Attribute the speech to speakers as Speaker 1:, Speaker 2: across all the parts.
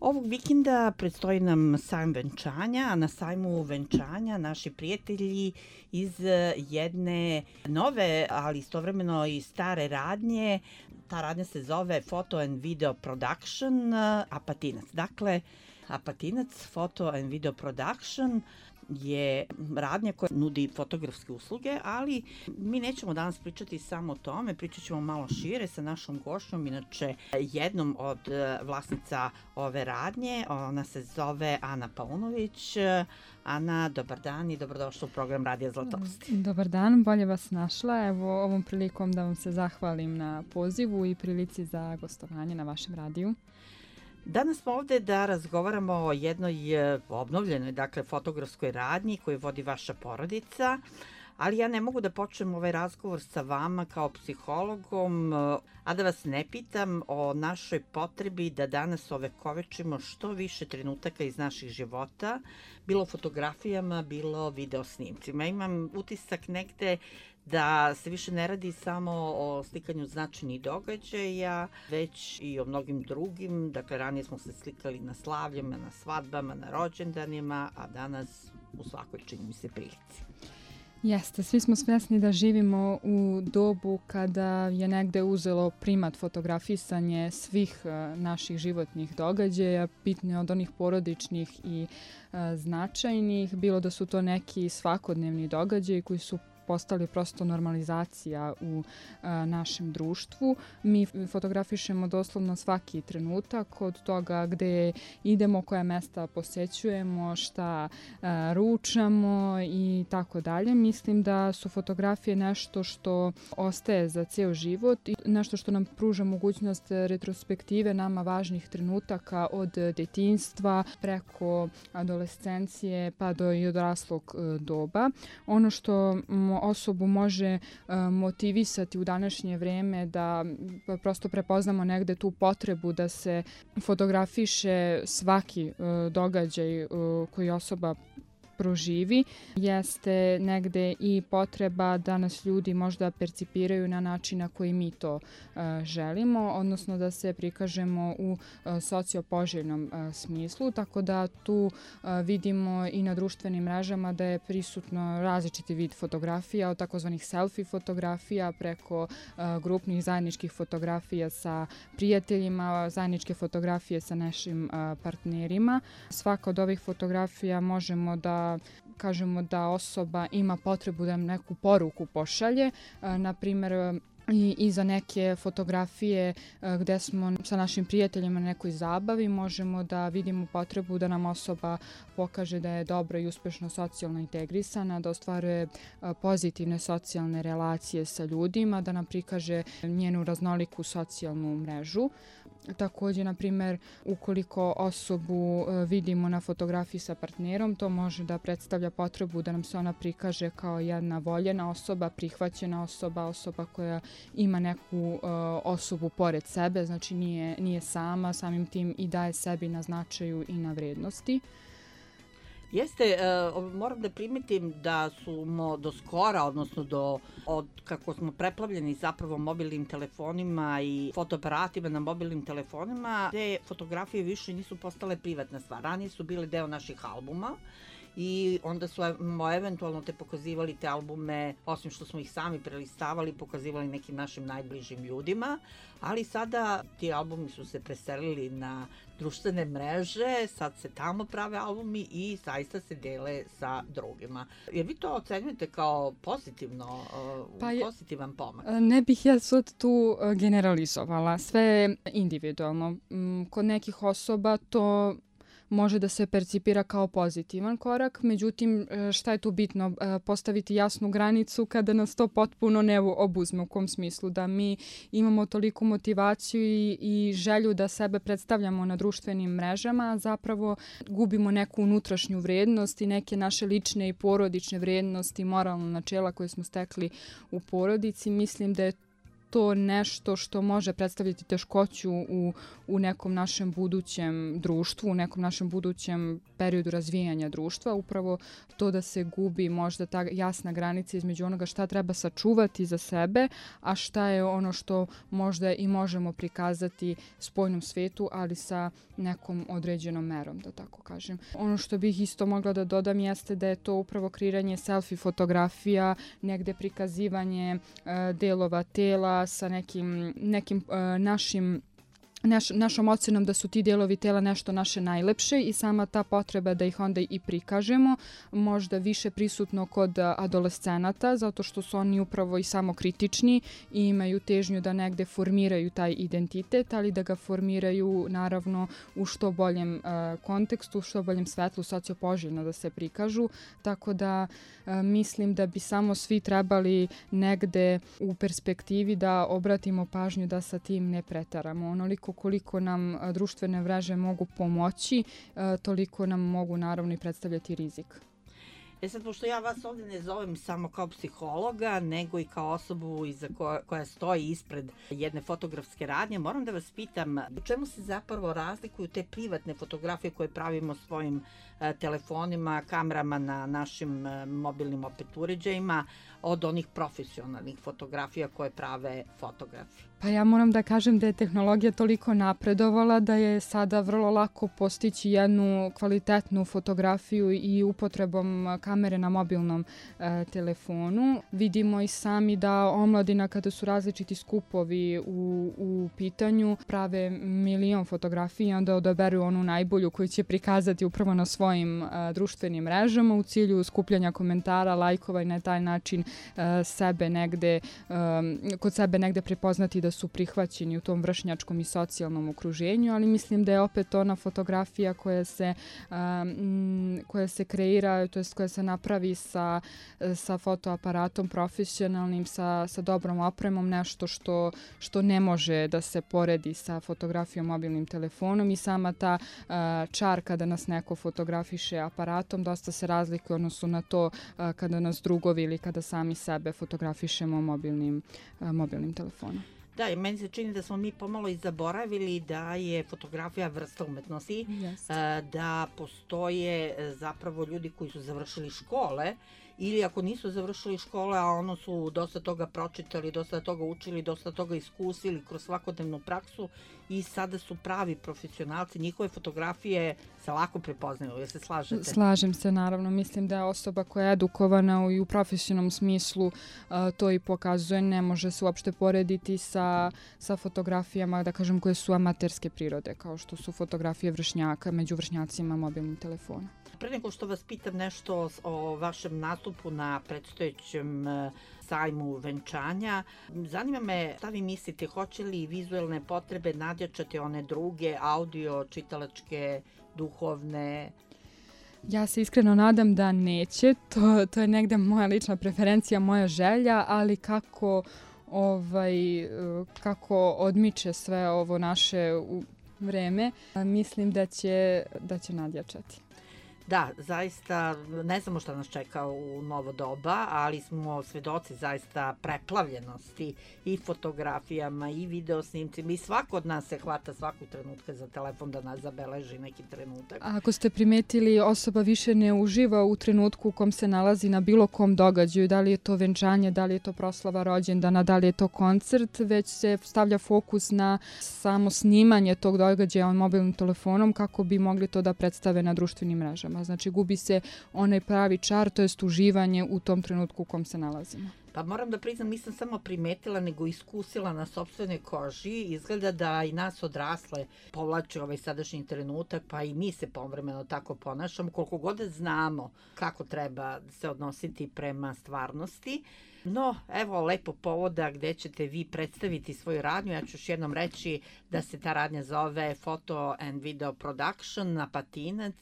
Speaker 1: Ovog vikenda predstoji nam sajam venčanja, a na sajmu venčanja naši prijatelji iz jedne nove, ali istovremeno i stare radnje. Ta radnja se zove Photo and Video Production Apatinac. Dakle, Apatinac Photo and Video Production je radnja koja nudi fotografske usluge, ali mi nećemo danas pričati samo o tome, pričat ćemo malo šire sa našom gošćom, inače jednom od vlasnica ove radnje. Ona se zove Ana Paunović. Ana, dobar dan i dobrodošla u program Radija Zlatosti.
Speaker 2: Dobar dan, bolje vas našla. Evo ovom prilikom da vam se zahvalim na pozivu i prilici za gostovanje na vašem radiju.
Speaker 1: Danas smo ovde da razgovaramo o jednoj obnovljenoj, dakle, fotografskoj radnji koju vodi vaša porodica, ali ja ne mogu da počnem ovaj razgovor sa vama kao psihologom, a da vas ne pitam o našoj potrebi da danas ovekovečimo što više trenutaka iz naših života, bilo fotografijama, bilo video snimcima. Imam utisak negde da se više ne radi samo o slikanju značajnih događaja, već i o mnogim drugim. Dakle, ranije smo se slikali na slavljama, na svadbama, na rođendanima, a danas u svakoj, čini mi se, prilici.
Speaker 2: Jeste, svi smo svjesni da živimo u dobu kada je negde uzelo primat fotografisanje svih naših životnih događaja, bitno od onih porodičnih i značajnih, bilo da su to neki svakodnevni događaji koji su postali prosto normalizacija u našem društvu. Mi fotografišemo doslovno svaki trenutak, od toga gde idemo, koja mesta posećujemo, šta ručamo i tako dalje. Mislim da su fotografije nešto što ostaje za ceo život i nešto što nam pruža mogućnost retrospektive nama važnih trenutaka od detinjstva preko adolescencije pa do i odraslog doba. Ono što osobu može motivisati u današnje vreme da prosto prepoznamo negde tu potrebu da se fotografiše svaki događaj koji osoba proživi, jeste negde i potreba da nas ljudi možda percipiraju na način na koji mi to želimo, odnosno da se prikažemo u sociopoželjnom smislu, tako da tu vidimo i na društvenim mrežama da je prisutno različiti vid fotografija, od takozvanih selfie fotografija preko grupnih zajedničkih fotografija sa prijateljima, zajedničke fotografije sa našim partnerima. Svaka od ovih fotografija možemo da kažemo da osoba ima potrebu da nam neku poruku pošalje, na primjer i za neke fotografije gde smo sa našim prijateljima na nekoj zabavi možemo da vidimo potrebu da nam osoba pokaže da je dobro i uspešno socijalno integrisana, da ostvaruje pozitivne socijalne relacije sa ljudima, da nam prikaže njenu raznoliku socijalnu mrežu. Također, na primjer, ukoliko osobu vidimo na fotografiji sa partnerom, to može da predstavlja potrebu da nam se ona prikaže kao jedna voljena osoba, prihvaćena osoba, osoba koja ima neku osobu pored sebe, znači nije sama, samim tim i daje sebi na značaju i na vrednosti.
Speaker 1: Jeste, moram da primetim da smo do skora, odnosno od kako smo preplavljeni zapravo mobilnim telefonima i fotoaparatima na mobilnim telefonima, te fotografije više nisu postale privatna stvar. Ranije su bile deo naših albuma i onda smo eventualno pokazivali te albume, osim što smo ih sami prelistavali, pokazivali nekim našim najbližim ljudima, ali sada ti albumi su se preselili na društvene mreže, sad se tamo prave albumi i zaista se dele sa drugima. Jer vi to ocenjujete kao pozitivno, pozitivan pomak?
Speaker 2: Ne bih ja sad tu generalizovala, sve je individualno. Kod nekih osoba to može da se percipira kao pozitivan korak, međutim šta je tu bitno? Postaviti jasnu granicu kada nas to potpuno ne obuzme, u kom smislu da mi imamo toliku motivaciju i želju da sebe predstavljamo na društvenim mrežama, a zapravo gubimo neku unutrašnju vrednost i neke naše lične i porodične vrednosti, moralna načela koje smo stekli u porodici. Mislim da je to nešto što može predstavljati teškoću u nekom našem budućem društvu, u nekom našem budućem periodu razvijanja društva. Upravo to da se gubi možda ta jasna granica između onoga šta treba sačuvati za sebe, a šta je ono što možda i možemo prikazati spoljnom svetu, ali sa nekom određenom merom, da tako kažem. Ono što bih isto mogla da dodam jeste da je to upravo kreiranje selfie fotografija, negde prikazivanje delova tela sa nekim našom ocenom da su ti delovi tela nešto naše najlepše i sama ta potreba da ih onda i prikažemo, možda više prisutno kod adolescenata, zato što su oni upravo i samokritični i imaju težnju da negde formiraju taj identitet, ali da ga formiraju naravno u što boljem kontekstu, u što boljem svetlu, sociopoželjno da se prikažu, tako da mislim da bi samo svi trebali negde u perspektivi da obratimo pažnju da sa tim ne pretaramo. Onoliko koliko nam društvene mreže mogu pomoći, toliko nam mogu naravno i predstavljati rizik.
Speaker 1: Sad, pošto ja vas ovdje ne zovem samo kao psihologa, nego i kao osobu koja stoji ispred jedne fotografske radnje, moram da vas pitam u čemu se zapravo razlikuju te privatne fotografije koje pravimo svojim telefonima, kamerama na našim mobilnim opet uređajima od onih profesionalnih fotografija koje prave fotografi?
Speaker 2: Pa ja moram da kažem da je tehnologija toliko napredovala da je sada vrlo lako postići jednu kvalitetnu fotografiju i upotrebom kamere na mobilnom telefonu. Vidimo i sami da omladina kada su različiti skupovi u pitanju prave milion fotografija i onda odaberu onu najbolju koju će prikazati upravo na svojim društvenim mrežama u cilju skupljanja komentara, lajkova i na taj način kod sebe negde prepoznati da su prihvaćeni u tom vršnjačkom i socijalnom okruženju, ali mislim da je opet ona fotografija koja se kreira, to jest koja se napravi sa fotoaparatom profesionalnim, sa dobrom opremom, nešto što ne može da se poredi sa fotografijom mobilnim telefonom i sama ta čar kada nas neko fotografiše aparatom dosta se razlikuje odnosno na to kada nas drugovi ili kada sami sebe fotografišemo mobilnim telefonom.
Speaker 1: Da, i meni se čini da smo mi pomalo i zaboravili da je fotografija vrsta umetnosti, da postoje zapravo ljudi koji su završili škole ili ako nisu završili škole, a ono su dosta toga pročitali, dosta toga učili, dosta toga iskusili kroz svakodnevnu praksu i sada su pravi profesionalci, njihove fotografije se lako prepoznaju, jel se slažete?
Speaker 2: Slažem se, naravno. Mislim da je osoba koja je edukovana i u profesionalnom smislu to i pokazuje. Ne može se uopšte porediti sa fotografijama, da kažem, koje su amaterske prirode, kao što su fotografije vršnjaka među vršnjacima mobilnim telefonom.
Speaker 1: Pre nego što vas pitam nešto o vašem nastupu na predstojećem sajmu venčanja, zanima me šta vi mislite, hoće li vizuelne potrebe nadjačati one druge, audio, čitalačke, duhovne?
Speaker 2: Ja se iskreno nadam da neće, to je negde moja lična preferencija, moja želja, ali kako odmiče sve ovo naše vreme, mislim da će nadjačati.
Speaker 1: Da, zaista ne znamo šta nas čeka u novo doba, ali smo svedoci zaista preplavljenosti i fotografijama i videosnimcima i svako od nas se hvata svakog trenutka za telefon da nas zabeleži neki trenutak.
Speaker 2: A ako ste primetili, osoba više ne uživa u trenutku u kom se nalazi na bilo kom događaju, da li je to venčanje, da li je to proslava rođendana, da li je to koncert, već se stavlja fokus na samo snimanje tog događaja mobilnim telefonom kako bi mogli to da predstave na društvenim mrežama. Znači gubi se onaj pravi čar, to jest uživanje u tom trenutku u kom se nalazimo.
Speaker 1: Pa moram da priznam, nisam samo primetila, nego iskusila na sopstvenoj koži. Izgleda da i nas odrasle povlače ovaj sadašnji trenutak, pa i mi se povremeno tako ponašamo, koliko god znamo kako treba se odnositi prema stvarnosti. No, evo lepo povoda gde ćete vi predstaviti svoju radnju. Ja ću još jednom reći da se ta radnja zove Photo and Video Production na Patinac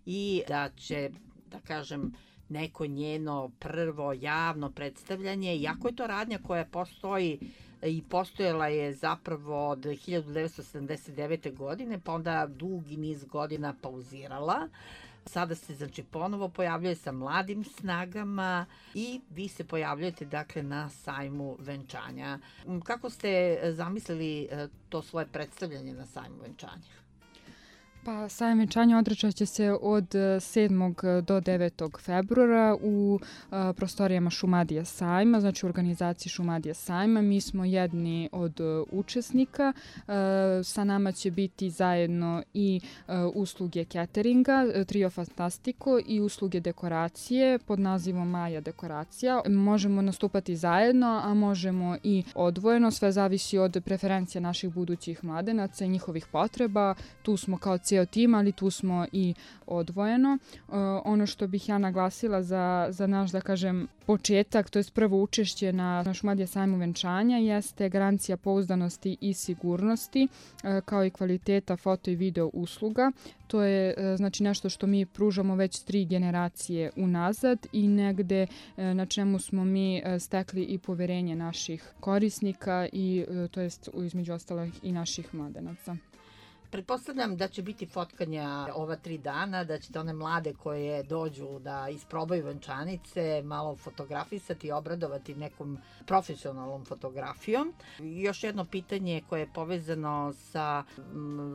Speaker 1: i da će, da kažem, neko njeno prvo javno predstavljanje, iako je to radnja koja postoji i postojala je zapravo od 1979. godine, pa onda dugi niz godina pauzirala. Sada se znači ponovo pojavljuje sa mladim snagama i vi se pojavljujete dakle na sajmu venčanja. Kako ste zamislili to svoje predstavljanje na sajmu venčanja?
Speaker 2: Pa sajam venčanja održat će se od 7. do 9. februara u prostorijama Šumadija sajma, znači u organizaciji Šumadija sajma. Mi smo jedni od učesnika. Sa nama će biti zajedno i usluge cateringa, Trio Fantastico i usluge dekoracije pod nazivom Maja dekoracija. Možemo nastupati zajedno, a možemo i odvojeno. Sve zavisi od preferencija naših budućih mladenaca i njihovih potreba. Tu smo kao cijel tim, ali tu smo i odvojeno. Ono što bih ja naglasila za naš, da kažem, početak, to je prvo učešće na Šumadija sajmu venčanja, jeste garancija pouzdanosti i sigurnosti, kao i kvaliteta foto i video usluga. To je znači nešto što mi pružamo već 3 generacije unazad i negde na čemu smo mi stekli i poverenje naših korisnika i to jest između ostalih i naših mladenaca.
Speaker 1: Pretpostavljam da će biti fotkanja ova 3 dana, da ćete one mlade koje dođu da isprobaju venčanice malo fotografisati i obradovati nekom profesionalnom fotografijom. Još jedno pitanje koje je povezano sa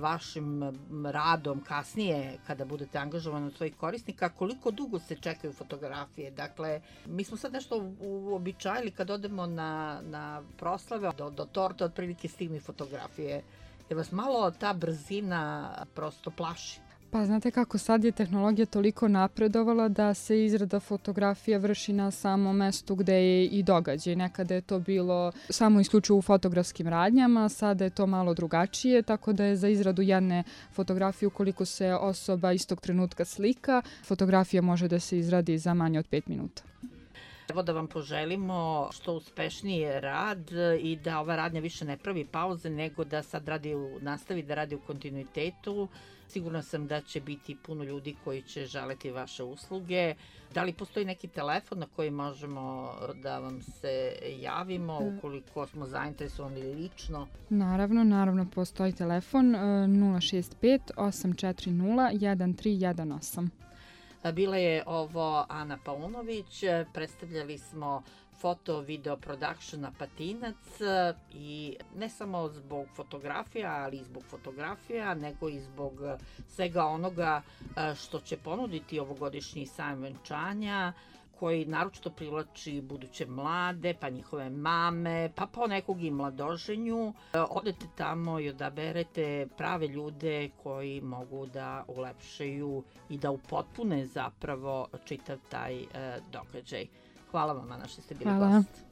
Speaker 1: vašim radom kasnije kada budete angažovani od svojih korisnika, koliko dugo se čekaju fotografije? Dakle, mi smo sad nešto uobičajili kad odemo na proslave, do torta otprilike stignu i fotografije. Jer vas malo ta brzina prosto plaši?
Speaker 2: Pa znate kako, sad je tehnologija toliko napredovala da se izrada fotografija vrši na samom mestu gde je i događaj. Nekada je to bilo samo isključivo u fotografskim radnjama, sada je to malo drugačije, tako da je za izradu jedne fotografije, ukoliko se osoba istog trenutka slika, fotografija može da se izradi za manje od 5 minuta.
Speaker 1: Evo da vam poželimo što uspešniji rad i da ova radnja više ne pravi pauze, nego da sad nastavi da radi u kontinuitetu. Sigurna sam da će biti puno ljudi koji će želeti vaše usluge. Da li postoji neki telefon na koji možemo da vam se javimo ukoliko smo zainteresovani lično?
Speaker 2: Naravno, postoji telefon 065 840 1318.
Speaker 1: Bila je ovo Ana Paunović, predstavljali smo foto video production Apatinac i ne samo zbog fotografija, ali i zbog fotografija, nego i zbog svega onoga što će ponuditi ovogodišnji sajam venčanja, koji naročito privlači buduće mlade, pa njihove mame, pa ponekog i mladoženju. Odete tamo i odaberete prave ljude koji mogu da ulepšaju i da upotpune zapravo čitav taj događaj. Hvala vam, Ana, što ste bili gost.